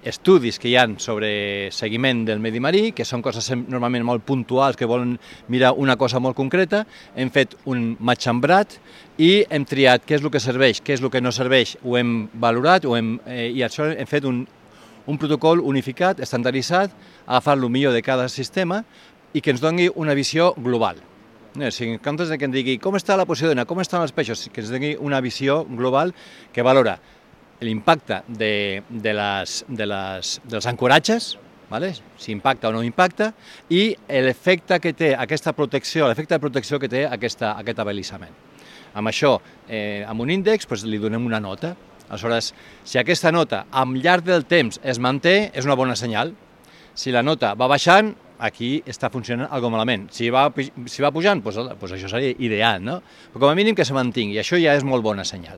estudis que hi ha sobre seguiment del medi marí, que són coses normalment molt puntuals, que volen mirar una cosa molt concreta. Hem fet un matxembrat i hem triat què és el que serveix, què és el que no serveix, ho hem valorat i això hem fet un protocol unificat, estandarditzat, agafant el millor de cada sistema i que ens doni una visió global. O sigui, en comptes que ens digui com està la Posidona, com estan els peixos, que ens doni una visió global que valora l'impacte dels ancoratges, si impacta o no impacta, i l'efecte que té aquesta protecció, l'efecte de protecció que té aquest abelissament. Amb això, amb un índex, li donem una nota. Aleshores, si aquesta nota, al llarg del temps, es manté, és una bona senyal. Si la nota va baixant, aquí està funcionant alguna cosa malament. Si va pujant, doncs això seria ideal, no? Però com a mínim que se mantingui, i això ja és molt bona senyal.